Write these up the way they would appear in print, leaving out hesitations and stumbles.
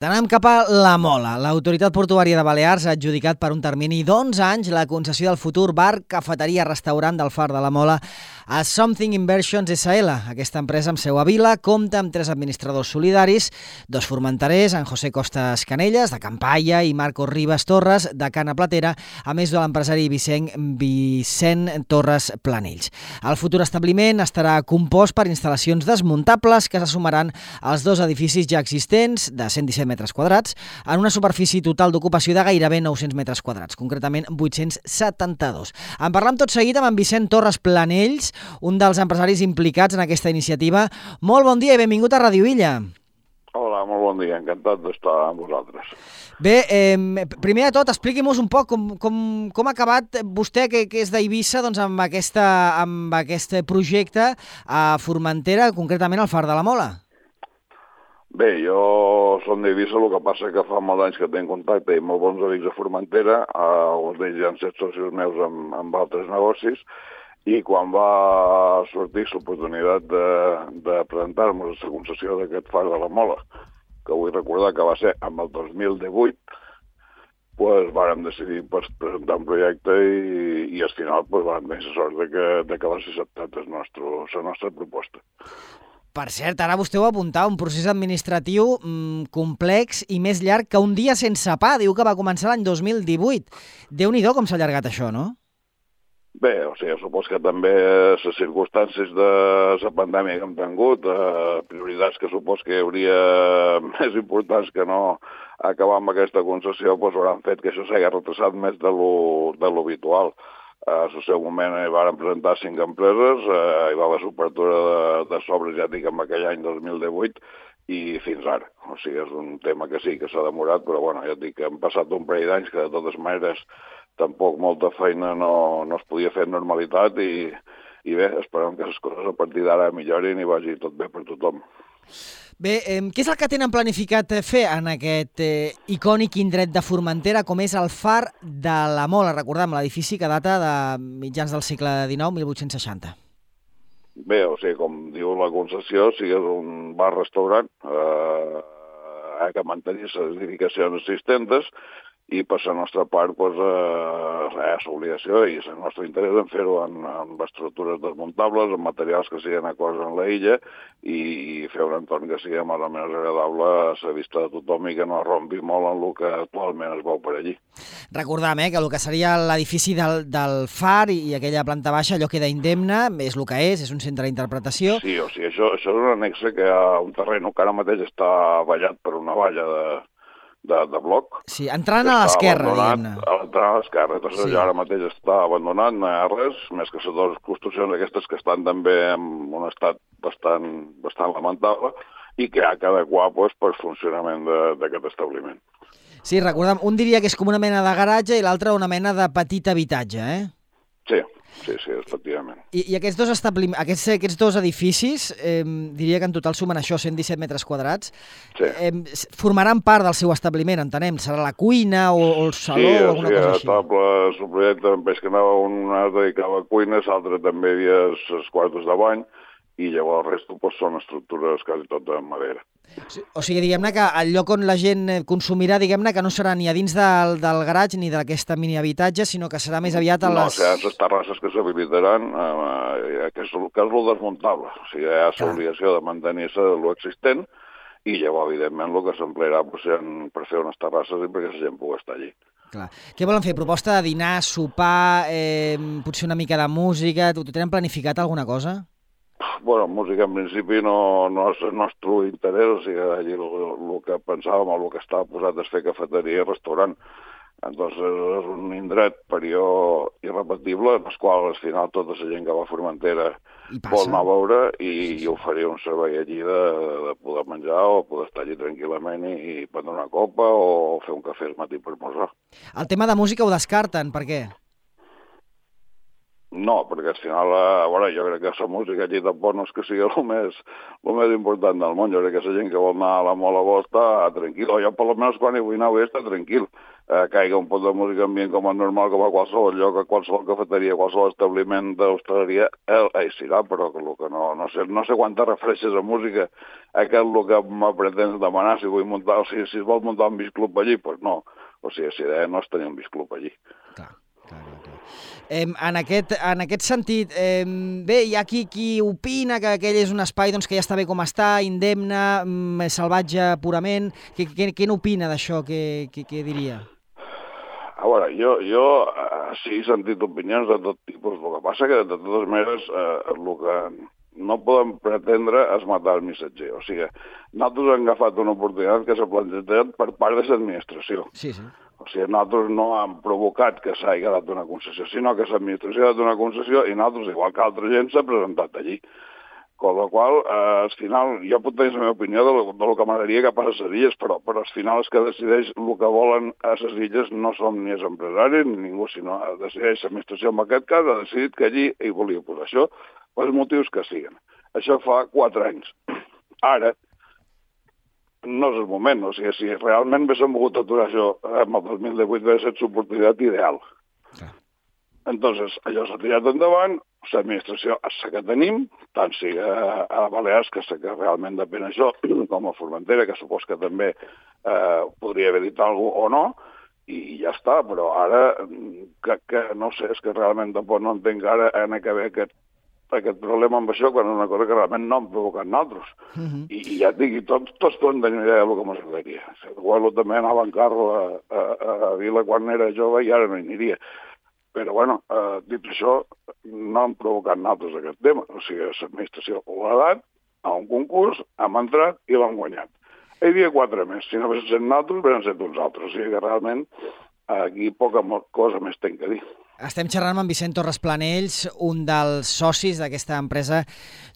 Anem cap a la Mola. L'Autoritat Portuària de Balears ha adjudicat per un termini d'11 anys la concessió del futur bar, cafeteria, restaurant del Far de la Mola a Something Inversions S.L. Aquesta empresa amb seu a Vila compta amb 3 administradors solidaris, 2 formenterers, en José Costas Canelles, de Campalla, i Marcos Ribas Torres, de Cana Platera, a més de l'empresari Vicent Torres Planells. El futur establiment estarà compost per instal·lacions desmuntables que se sumaran als 2 edificis ja existents, de 117 metres quadrats, en una superfície total d'ocupació de gairebé 900 metres quadrats, concretament 872. En parlam tot seguit amb en Vicent Torres Planells, un dels empresaris implicats en aquesta iniciativa. Molt bon dia i benvingut a Ràdio Illa. Hola, molt bon dia, encantat d'estar amb vosaltres. Bé, primer de tot, expliqui-mos un poc com ha acabat vostè, que és d'Eivissa, doncs, amb aquest projecte a Formentera, concretament al Far de la Mola. Bé, jo som d'Eivissa, el que passa que fa molts anys que tinc contacte i molt bons amics a Formentera, alguns d'ells han estat socis meus amb altres negocis, i quan va sortir l'oportunitat de presentar-nos la concessió d'aquest Far de la Mola, que vull recordar que va ser amb el 2018, doncs vàrem decidir presentar un projecte i al final vàrem tenir la sort de que va ser acceptat la nostra proposta. Per cert, ara vostè ho apuntava, un procés administratiu complex i més llarg que un dia sense pa. Diu que va començar l'any 2018. Déu-n'hi-do com s'ha allargat això, no? Bé, o sigui, supos que també les circumstàncies de la pandèmia que hem tingut, prioritats que supos que hi hauria més importants que no acabar amb aquesta concessió, doncs hauran fet que això s'hagi retrasat més de lo habitual. A el seu moment hi van presentar 5 empreses, hi va haver l'obertura de sobres, ja dic, en aquell any 2018, i fins ara. O sigui, és un tema que sí que s'ha demorat, però bueno, ja dic que han passat un parell d'anys que de totes maneres tampoc molta feina no es podia fer en normalitat i bé, esperem que les coses a partir d'ara millorin i vagi tot bé per tothom. Bé, què és el que tenen planificat fer en aquest icònic indret de Formentera, com és el Far de la Mola? Recordem, l'edifici que data de mitjans del segle XIX, 1860. Bé, o sigui, com diu la concessió, és un bar-restaurant que mantenir les edificacions existents i per la nostra part l'obligació i el nostre interès en fer-ho amb estructures desmuntables, amb materials que siguin acords amb la illa i fer un entorn que sigui més o menys agradable a la vista de tothom i que no rompi molt en el que actualment es veu per allí. Recordem que el que seria l'edifici del Far i aquella planta baixa, allò queda indemne, és el que és un centre d'interpretació. Sí, o sigui, això és un annexe que hi ha un terreny que ara mateix està vallat per una valla de bloc. Sí, entrant a l'esquerra, diguem-ne. Entrant a l'esquerra. Doncs allò ara mateix està abandonat, no hi ha res, més que les 2 construccions aquestes que estan també en un estat bastant lamentable i que ha d'adequar per funcionament d'aquest establiment. Sí, recordem, un diria que és com una mena de garatge i l'altre una mena de petit habitatge, Sí, efectivament. I aquests 2 edificis, diria que en total sumen això, 117 metres quadrats, formaran part del seu establiment, entenem? Serà la cuina o el saló o alguna cosa així? Sí, el projecte, veig que anava un es dedicava a cuines, l'altre també hi havia els quartos de bany, i llavors el resto són estructures quasi tot de madera. O sigui, diguem-ne que el lloc on la gent consumirà, diguem-ne que no serà ni a dins del garatge ni d'aquesta mini habitatge, sinó que serà més aviat a les... No, o sigui, les terrasses que s'habilitaran, que és el desmuntable. O sigui, hi ha l'obligació de mantenir-se l'existent i llavors, evidentment, el que s'emplearà per fer unes terrasses i perquè la gent pugui estar allí. Clar. Què volen fer? Proposta de dinar, sopar, potser una mica de música? Ho tenen planificat alguna cosa? Bueno, música en principi no és el nostre interès, o sigui, allí el que pensàvem, el que estava posat és fer cafeteria i restaurant. Entonces és un indret període irrepetible, en el qual al final tota la gent que va a Formentera vol anar a veure i oferir un servei allí de poder menjar o poder estar allí tranquil·lament i prendre una copa o fer un cafè al matí per esmorzar. El tema de música ho descarten, per què? No, perquè al final, jo crec que la música aquí tampoc no és que sigui el més important del món. Jo crec que la gent que vol anar a la Mola vol estar tranquil. O jo, per almenys, quan hi vull anar, vull estar tranquil. Caiga un pot de música ambient com a normal, com a qualsevol lloc, a qualsevol cafeteria, a qualsevol establiment d'hostaleria, serà, però el que no sé quanta refereixes a música, aquest el que me pretens demanar, si vull muntar, o sigui, si es vol muntar un biciclub allí, doncs no. O sigui, si idea no és tenir un biciclub allí. Clar. En aquest sentit, bé, hi ha qui opina que aquell és un espai que ja està bé com està, indemne, salvatge purament. Què n'opina d'això? Què diria? A veure, jo sí he sentit opinions de tot tipus. El que passa que, de totes maneres, el que no podem pretendre és matar el missatger. O sigui, nosaltres hem agafat una oportunitat que s'ha plantejat per part de l'administració. Sí. O sigui, nosaltres no hem provocat que s'hagi dat una concessió, sinó que l'administració ha dat una concessió i nosaltres, igual que altra gent, s'ha presentat allí. Con la qual, al final, jo puc tenir la meva opinió del que m'agradaria que passa a les illes, però al final els que decideix el que volen a les illes no som ni els empresaris ni ningú, sinó decideix l'administració, en aquest cas, ha decidit que allí hi volia posar això, pels motius que siguin. Això fa 4 anys. Ara, no és el moment, o sigui, si realment haguéssim volgut aturar això en el 2018 hauria estat l'oportunitat ideal. Entonces, allò s'ha tirat endavant, l'administració és la que tenim, tant sigui a Balears, que sé que realment depèn això, com a Formentera, que supos que també podria haver dit alguna cosa o no, i ja està, però ara, que no sé, és que realment tampoc no entenc ara en acabar aquest problema amb això, quan és una cosa que realment no hem provocat nosaltres. I ja et dic, tots poden tenir una idea del que m'agradaria. Igual també anava en carro a Vila quan era jove i ara no hi aniria. Però, dit això, no hem provocat nosaltres aquest tema. O sigui, l'administració ho ha dat a un concurs, hem entrat i l'hem guanyat. Hi havia 4 més. Si no haguessin set nosaltres, haurien set uns altres. O sigui que realment aquí poca cosa més tenc a dir. Estem xerrant amb en Vicent Torres Planells, un dels socis d'aquesta empresa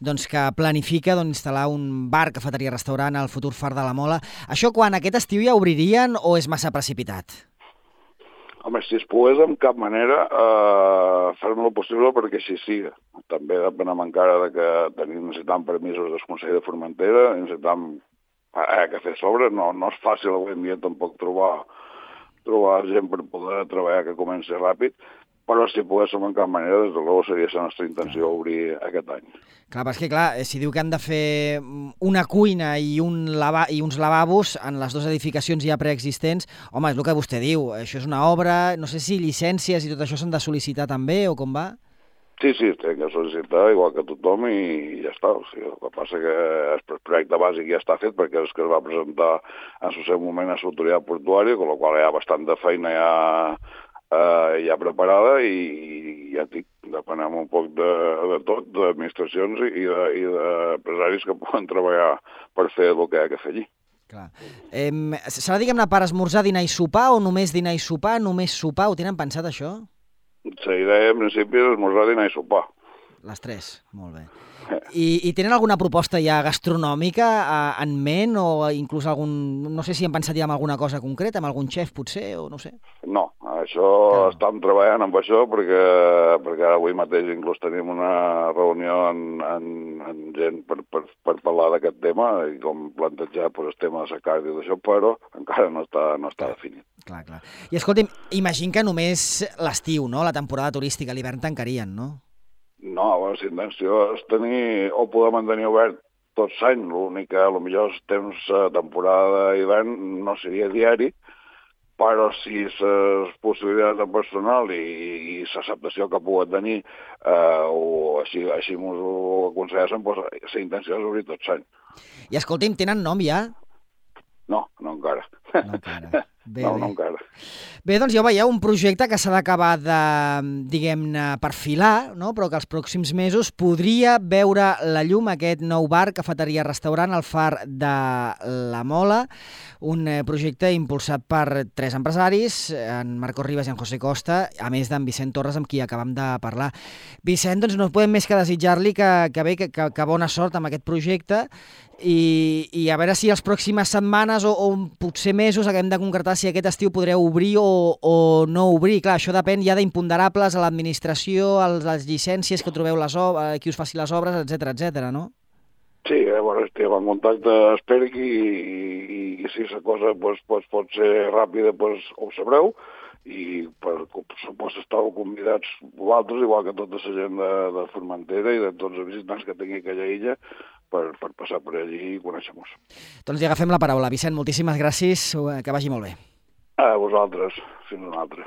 que planifica instal·lar un bar, cafeteria, restaurant al futur Far de la Mola. Això quan aquest estiu ja obririen o és massa precipitat? Home, si es pogués, en cap manera, farem el possible perquè així siga. També depenem encara que necessitem permisos del Consell de Formentera, necessitem que fer sobre. No és fàcil avui en dia tampoc trobar gent per poder treballar que comenci ràpid, però si poguéssim en cap manera, des de l'ou seria la nostra intenció obrir aquest any. Clar, però és que si diu que han de fer una cuina i uns lavabos en les 2 edificacions ja preexistents, home, és el que vostè diu, això és una obra, no sé si llicències i tot això s'han de sol·licitar també o com va? Sí, tenen que sol·licitar igual que tothom i ja està. O sigui, el que passa que el projecte bàsic ja està fet perquè és que es va presentar en el seu moment a l'autoritat portuària, amb la qual hi ha bastant de feina ja preparada i ja dic, depenem un poc de tot, d'administracions i d'empresaris que poden treballar per fer el que hi ha que fer allí. Clar. Serà, diguem-ne, per esmorzar, dinar i sopar o només dinar i sopar, només sopar? Ho tenen pensat, això? La idea, en principi, és esmorzar, dinar i sopar. Les 3, molt bé. I tenen alguna proposta ja gastronòmica en ment o inclús no sé si han pensat ja en alguna cosa concreta, amb algun xef potser o no sé? No, això estem treballant amb això perquè ara avui mateix inclús tenim una reunió amb gent per parlar d'aquest tema i com plantejar el tema de la carta i d'això, però encara no està definit. Clar. I escolti'm, imagino que només l'estiu, no? La temporada turística, l'hivern tancarien, no? No, la intenció és tenir o poder mantenir obert tot l'any. L'únic que potser el temps temporada d'hivern no seria diari, però si les possibilitats de personal i l'acceptació que pugui tenir o així m'ho aconsellessin, doncs la intenció és obrir tot l'any. I escolti'm, tenen nom ja? No encara. No encara. No encara. Bé, doncs ja veieu, un projecte que s'ha d'acabar de, diguem-ne, perfilar, no? Però que els pròxims mesos podria veure la llum aquest nou bar, cafeteria, restaurant al Far de la Mola, un projecte impulsat per 3 empresaris, en Marcos Ribas i en José Costa, a més d'en Vicent Torres, amb qui acabam de parlar. Vicent, doncs no podem més que desitjar-li que bona sort amb aquest projecte i a veure si les pròximes setmanes o potser mesos acabem de concretar veure si aquest estiu podreu obrir o no obrir. Clar, això depèn ja d'imponderables a l'administració, a les llicències que trobeu qui us faci les obres, etc, no? Sí, bueno, estem en contacte espèric i si la cosa pot ser ràpida, ho sabreu, i per supost estàu convidats vosaltres, igual que tota la gent de Formentera i de tots els visitants que tingui aquella illa, per passar per allí i conèixer-nos. Doncs li agafem la paraula. Vicent, moltíssimes gràcies, que vagi molt bé. A vosaltres, fins una altra.